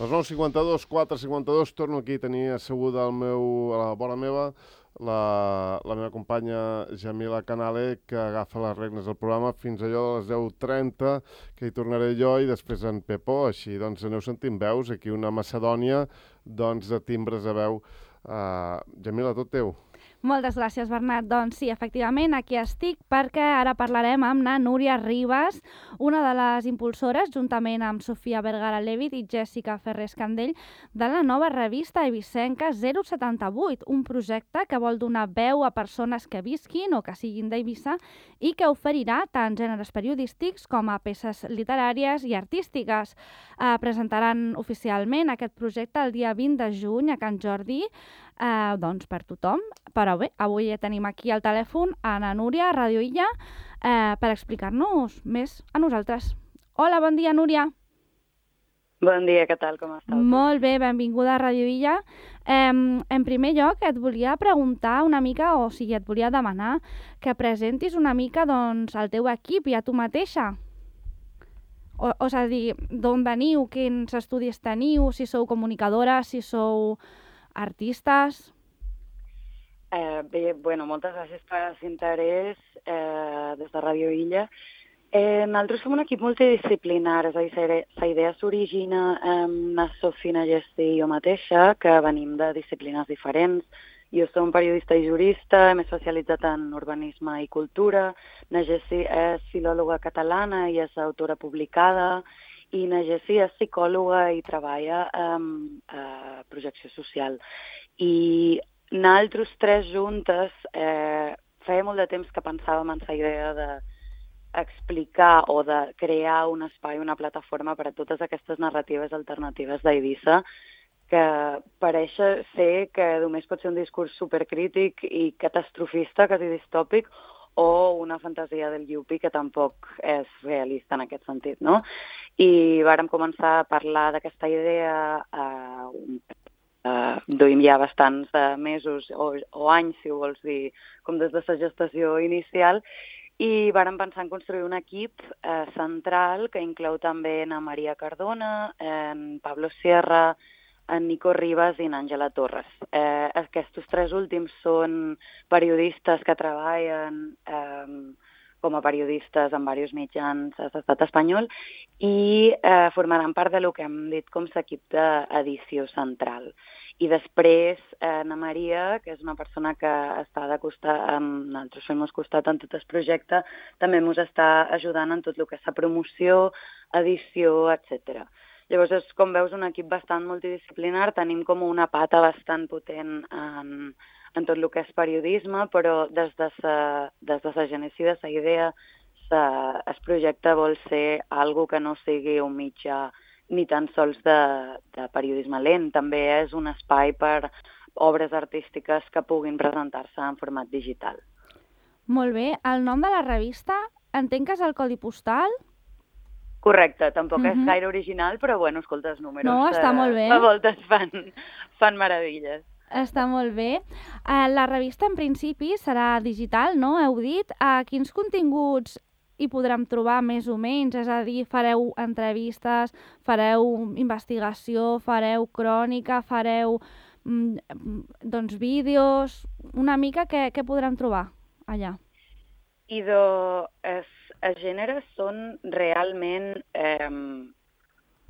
Les 9:52, 4:52, torno aquí a tenir asseguda a la vora meva la meva companya Jamila Canale, que agafa les regnes del programa fins allò de les 10:30, que hi tornaré jo, i després en Pepo. Així doncs aneu sentint veus, aquí una Macedònia doncs, de timbres de veu. Jamila, tot teu. Moltes gràcies, Bernat. Doncs sí, efectivament, aquí estic perquè ara parlarem amb na Núria Ribas, una de les impulsores, juntament amb Sofia Vergara Levit i Jessica Ferrés Candell, de la nova revista eivissenca 078, un projecte que vol donar veu a persones que visquin o que siguin d'Eivissa i que oferirà tant gèneres periodístics com a peces literàries i artístiques. Presentaran oficialment aquest projecte el dia 20 de juny a Can Jordi, doncs per tothom. Però bé, avui tenim aquí al telèfon a na Núria, a Ràdio Illa, per explicar-nos més a nosaltres. Hola, bon dia, Núria. Bon dia, què tal, com estàs? Molt bé, benvinguda a Ràdio Illa. En primer lloc, et volia preguntar una mica, o sigui, et volia demanar que presentis una mica doncs, el teu equip i a tu mateixa. És a dir, d'on veniu, quins estudis teniu, si sou comunicadores, si sou artistes. Bé, moltes gràcies per l'interès des de Ràdio Illa. Nosaltres som un equip multidisciplinar, és a dir, la idea s'origina amb la Sofia, na Jessi i jo mateixa, que venim de disciplines diferents. Jo soc periodista i jurista, m'he especialitzat en urbanisme i cultura. Na Jessi és filòloga catalana i és autora publicada. I na Jessi és psicòloga i treballa en projecció social. I nosaltres tres juntes feia molt de temps que pensàvem en la idea d'explicar o de crear un espai, una plataforma per a totes aquestes narratives alternatives d'Eivissa, que pareix ser que només pot ser un discurs supercrític i catastrofista, quasi distòpic, o una fantasia del Yuppie que tampoc és realista en aquest sentit, no? I vàrem començar a parlar d'aquesta idea duim ja bastants mesos o anys, si ho vols dir, com des de la gestació inicial, i vàrem pensar en construir un equip central que inclou també na Maria Cardona, en Pablo Sierra, en Nico Ribas i en Àngela Torres. Aquests tres últims són periodistes que treballen com a periodistes en diversos mitjans de l'estat espanyol i formaran part de lo que hem dit com l'equip d'edició central. I després, na Maria, que és una persona que està de costat, nosaltres fem costat en tot el projecte, també ens està ajudant en tot el que és la promoció, edició, etc. Llavors, és, com veus, un equip bastant multidisciplinar, tenim com una pata bastant potent en tot el que és periodisme, però des de la genesi de la idea, el projecte vol ser algo que no sigui un mitjà ni tan sols de periodisme lent. També és un espai per obres artístiques que puguin presentar-se en format digital. Molt bé. El nom de la revista, entenc que és el codi postal? Correcte, tampoc és gaire original, però bueno, escolta, els números no, està molt bé. A voltes fan meravelles. Està molt bé. La revista, en principi, serà digital, no? Heu dit. Quins continguts hi podrem trobar més o menys? És a dir, fareu entrevistes, fareu investigació, fareu crònica, fareu doncs vídeos... Una mica què podrem trobar allà? Els gèneres són realment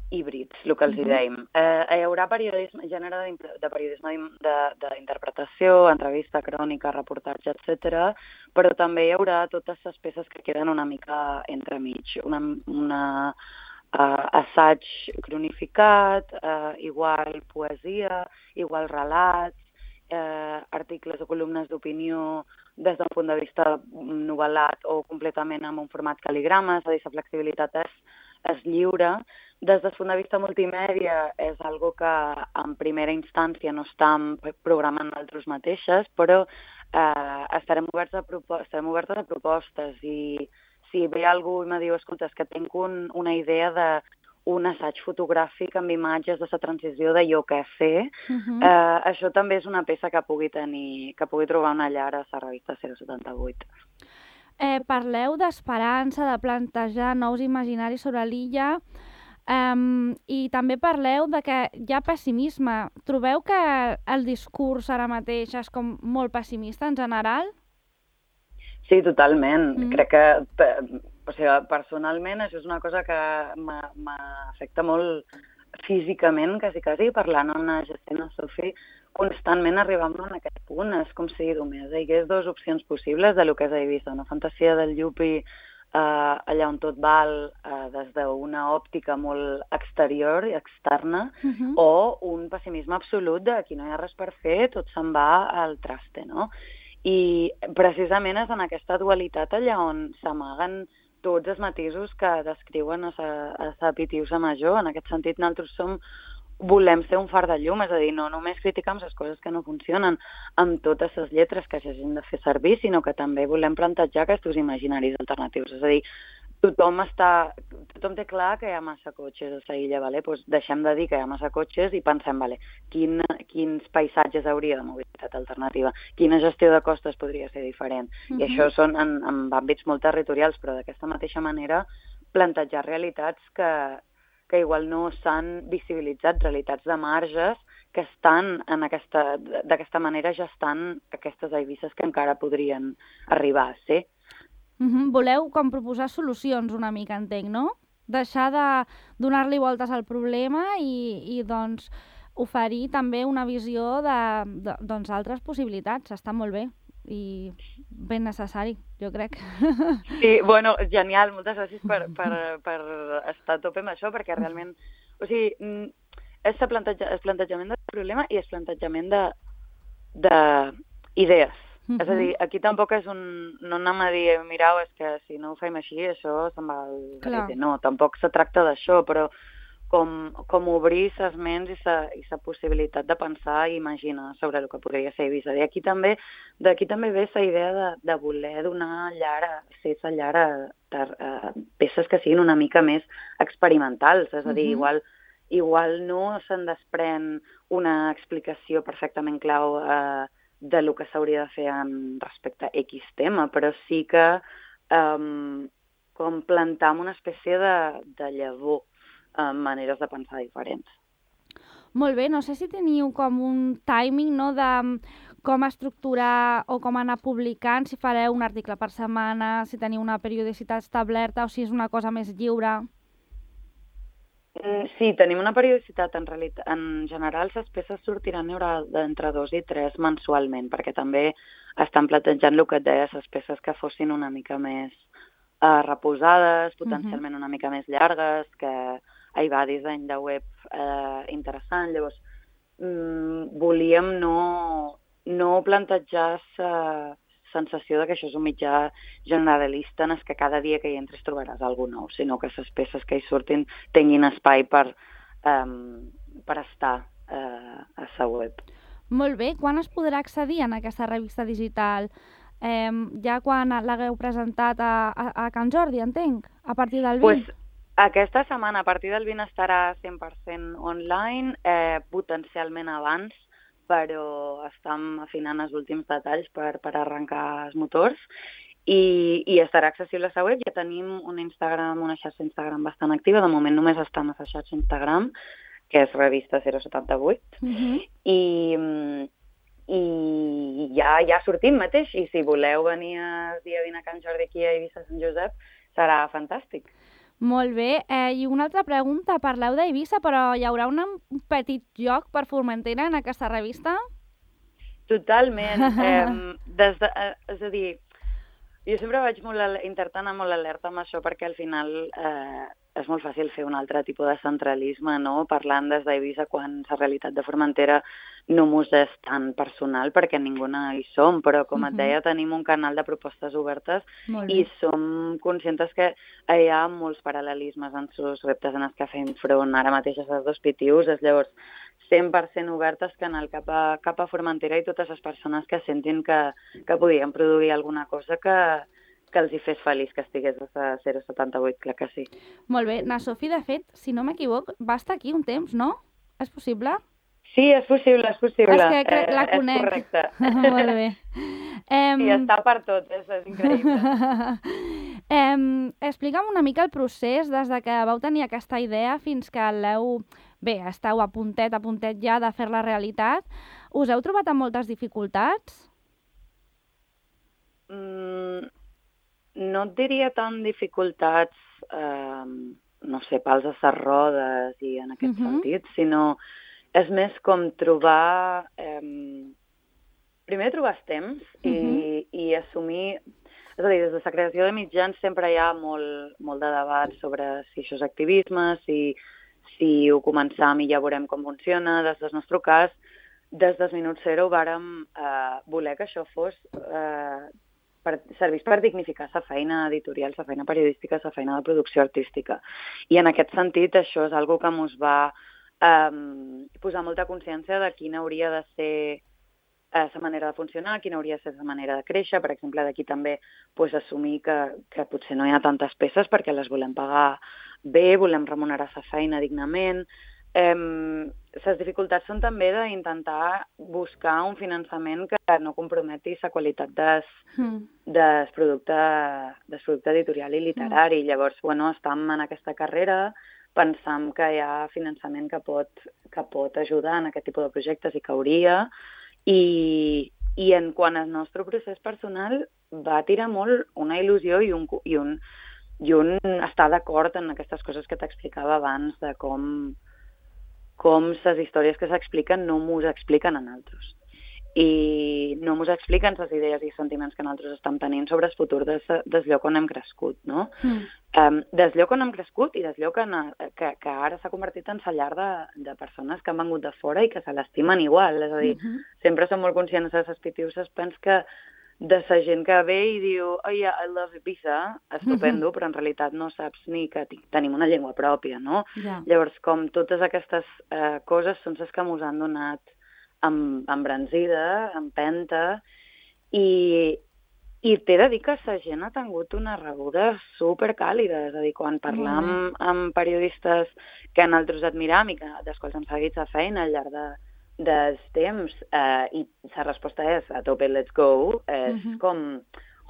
híbrids, el que els dèiem. Hi haurà gènere de periodisme d'interpretació, entrevista, crònica, reportatge, etc. Però també hi haurà totes les peces que queden una mica entremig. Un assaig cronificat, igual poesia, igual relats, articles o columnes d'opinió des d'un punt de vista novel·lat o completament amb un format cal·ligrama, és a dir, la flexibilitat és lliure. Des del punt de vista multimèdia és algo que en primera instància no estem programant nosaltres mateixes, però estarem oberts a propostes i si ve algú i me diu, escolta, és que tinc una idea d'un assaig fotogràfic amb imatges de la transició de jo què sé, això també és una peça que pugui trobar una llar a la revista 078. Parleu d'esperança, de plantejar nous imaginaris sobre l'illa. I també parleu de que hi ha pessimisme. Trobeu que el discurs ara mateix és com molt pessimista en general? Sí, totalment. Crec que, o sigui, personalment, això és una cosa que m'afecta molt físicament, quasi, parlant amb la Jacint Sofi, constantment arribant a aquest punt. És com si només hi hagués dues opcions possibles de lo que és a Eivissa. Una fantasia del Llupi allà on tot val des d'una òptica molt exterior i externa, o un pessimisme absolut de aquí no hi ha res per fer, tot se'n va al traste, no? I precisament és en aquesta dualitat allà on s'amaguen tots els matisos que descriuen a Pitiusa Major. En aquest sentit, nosaltres volem ser un far de llum, és a dir, no només criticam les coses que no funcionen amb totes les lletres que s'hagin de fer servir, sinó que també volem plantejar aquests imaginaris alternatius. És a dir, tothom té clar que hi ha massa cotxes a l'illa, vale? Pues deixem de dir que hi ha massa cotxes i pensem, vale, quins paisatges hauria de mobilitat alternativa, quina gestió de costes podria ser diferent. I això són en àmbits molt territorials, però d'aquesta mateixa manera plantejar realitats que igual no s'han visibilitzat, realitats de marges que estan d'aquesta manera gestant aquestes Eivisses que encara podrien arribar a ser. Voleu com proposar solucions una mica, entenc, no? Deixar de donar-li voltes al problema i doncs oferir també una visió d'altres possibilitats. Està molt bé i ben necessari, jo crec. Sí, bueno, genial, moltes gràcies per estar a tope amb això, perquè realment, o sigui, és el plantejament del problema i el plantejament d'idees. És a dir, aquí tampoc és no anem a dir, mireu, és que si no ho fem així, això se'n va al garete. No, tampoc se tracta d'això, però com obrir ses ments i sa possibilitat de pensar i imaginar sobre el que podria ser Eivissa. D'aquí també ve la idea de voler donar ser sa llar a peces que siguin una mica més experimentals. És a dir, igual no se'n desprèn una explicació perfectament clau de lo que s'hauria de fer respecte a X tema, però sí que com plantar una espècie de llavor, maneres de pensar diferents. Molt bé, no sé si teniu com un timing, no?, de com estructurar o com anar publicant, si fareu un article per setmana, si teniu una periodicitat establerta o si és una cosa més lliure. Sí, tenim una periodicitat. En general, les peces sortiran d'entre 2 i 3 mensualment, perquè també estan plantejant el que et deia, les peces que fossin una mica més reposades, potencialment una mica més llargues, que hi va disseny de web interessant. Llavors, volíem no plantejar la sensació que això és un mitjà generalista en què cada dia que hi entres trobaràs alguna nou, sinó que les peces que hi surtin tinguin espai per estar a la web. Molt bé. Quan es podrà accedir en aquesta revista digital? Ja quan l'hagueu presentat a Can Jordi, entenc? A partir del 20? Pues, aquesta setmana, a partir del 20, estarà 100% online, potencialment abans, però estem afinant els últims detalls per arrencar els motors i estarà accessible a la web. Ja tenim una xarxa Instagram bastant activa. De moment només està a la xarxa Instagram, que és Revista 078. I ja sortim mateix. I si voleu venir el dia 20 a Can Jordi aquí a Eivissa Sant Josep, serà fantàstic. Molt bé. I una altra pregunta. Parleu d'Eivissa, però hi haurà un petit lloc per Formentera en aquesta revista? Totalment. És a dir, jo sempre vaig intentar anar molt alerta amb això, perquè al final és molt fàcil fer un altre tipus de centralisme, no? Parlant des d'Eivissa quan la realitat de Formentera no mos és tan personal, perquè ningú hi som, però com et deia, tenim un canal de propostes obertes i som conscients que hi ha molts paral·lelismes en els reptes en els que fem front ara mateix a els dos Pitius. Llavors, 100% obertes que anar cap a Formentera i totes les persones que sentin que podien produir alguna cosa que els hi fes feliç que estigués a 078, clar que sí. Molt bé. Na Sofi, de fet, si no m'equivoc, va estar aquí un temps, no? És possible? Sí, és possible. És que la conec. És correcte. Molt bé. Sí, està per tot, és increïble. Explica'm una mica el procés des de que vau tenir aquesta idea fins que esteu a puntet ja de fer-la realitat. Us heu trobat amb moltes dificultats? No et diria tant dificultats, no sé, pals a les rodes i en aquest sentit, sinó és més com trobar... primer trobar els temps i assumir... És a dir, des de la creació de mitjans sempre hi ha molt de debat sobre si això és activisme, si ho començam i ja veurem com funciona. Des del nostre cas, des del minut zero vàrem voler que això servís per dignificar la feina editorial, la feina periodística, la feina de producció artística. I en aquest sentit això és una cosa que ens va posar molta consciència de quina hauria de ser la manera de funcionar, quina hauria de ser la manera de créixer. Per exemple, d'aquí també assumir que potser no hi ha tantes peces perquè les volem pagar bé, volem remunerar la feina dignament. Les dificultats són també d'intentar buscar un finançament que no comprometi la qualitat del producte editorial i literari. Llavors, estem en aquesta carrera, pensam que hi ha finançament que pot ajudar en aquest tipus de projectes i que hauria. I en quant al nostre procés personal, va tirar molt una il·lusió i un estar d'acord en aquestes coses que t'explicava abans de com les històries que s'expliquen no mos expliquen a nosaltres. I no mos expliquen les idees i sentiments que nosaltres estem tenint sobre el futur del lloc on hem crescut, no? Del lloc on hem crescut i del lloc que ara s'ha convertit en la llar de persones que han vengut de fora i que se l'estimen igual. És a dir, sempre som molt conscients de les pitiuses, pens que de la gent que ve i diu oh yeah, I love Ibiza, estupendo, però en realitat no saps ni que tenim una llengua pròpia, no? Llavors, com totes aquestes coses són les que ens han donat embranzida, empenta, i t'he de dir que la gent ha tingut una rebuda supercàlida. És a dir, quan parlam amb periodistes que nosaltres admiram i dels quals hem seguit la feina al llarg dels temps, i la resposta és a tope, let's go, és com,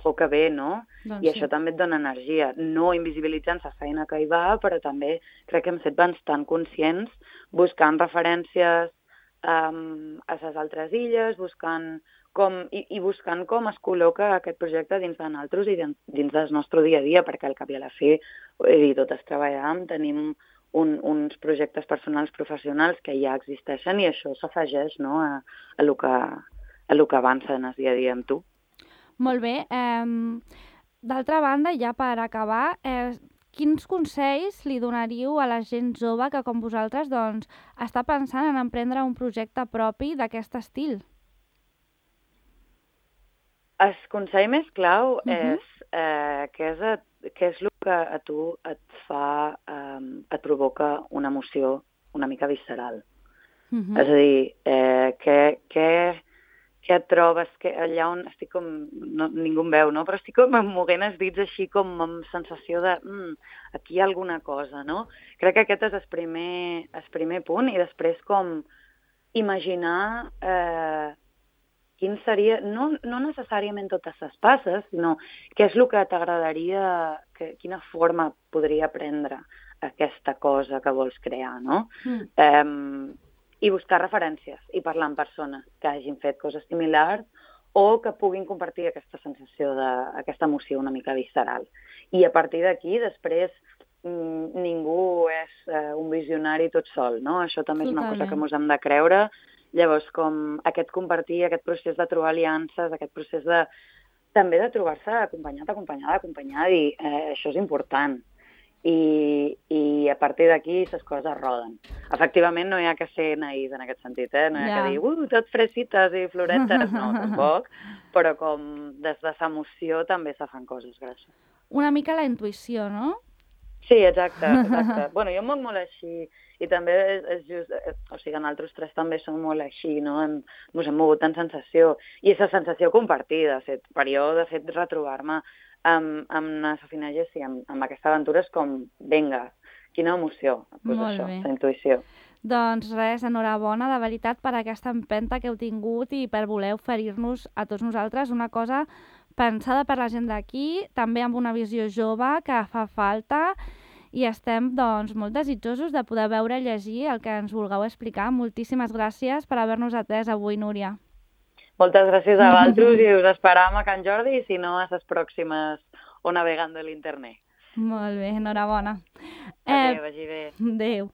que bé, no? I això també et dona energia, no invisibilitzant la feina que hi va, però també crec que hem estat bastant conscients, buscant referències a les altres illes, buscant com es col·loca aquest projecte dins de nosaltres i dins del nostre dia a dia, perquè al cap i a la fi, totes treballem, tenim uns projectes personals professionals que ja existeixen i això s'afegeix, no, a lo que avança en el dia a dia amb tu. Molt bé. D'altra banda, ja per acabar, quins consells li donaríeu a la gent jove que, com vosaltres, doncs, està pensant en emprendre un projecte propi d'aquest estil? El consell més clau és què és el que a tu et provoca una emoció una mica visceral. És a dir, què et trobes, que allà on estic com, ningú em veu, no? Però estic com moguent els dits així com amb sensació de aquí hi ha alguna cosa, no? Crec que aquest és el primer punt, i després com imaginar quin seria, no necessàriament totes les passes, sinó què és el que t'agradaria, quina forma podria prendre aquesta cosa que vols crear, no? I buscar referències i parlar amb persones que hagin fet coses similars o que puguin compartir aquesta sensació, aquesta emoció una mica visceral. I a partir d'aquí, després, ningú és un visionari tot sol, no? Això també és una cosa que ens hem de creure. Llavors, com aquest compartir, aquest procés de trobar aliances, aquest procés també de trobar-se acompanyada, i això és important. I a partir d'aquí les coses roden. Efectivament, no hi ha que ser naïs en aquest sentit, no hi ha que dir tot fresites i floretes, no, tampoc, però com des de l'emoció també se fan coses grosses. Una mica la intuïció, no? Sí, exacte. Bueno, jo em moc molt així, i també és just, o sigui, nosaltres tres també som molt així, no? Ens hem mogut en sensació, i és la sensació compartida, per jo, de fet, retrobar-me amb la Sofina Jessi, amb aquesta aventura és com, vinga, quina emoció, doncs això, la intuïció. Doncs res, enhorabona, de veritat, per aquesta empenta que heu tingut i per voler oferir-nos a tots nosaltres una cosa pensada per la gent d'aquí, també amb una visió jove que fa falta, i estem doncs, molt desitjosos de poder veure i llegir el que ens vulgueu explicar. Moltíssimes gràcies per haver-nos atès avui, Núria. Moltes gràcies a vosaltres i us esperam a Can Jordi i si no a les pròximes o navegant de l'internet. Molt bé, enhorabona. Adéu, vagi bé. Adéu.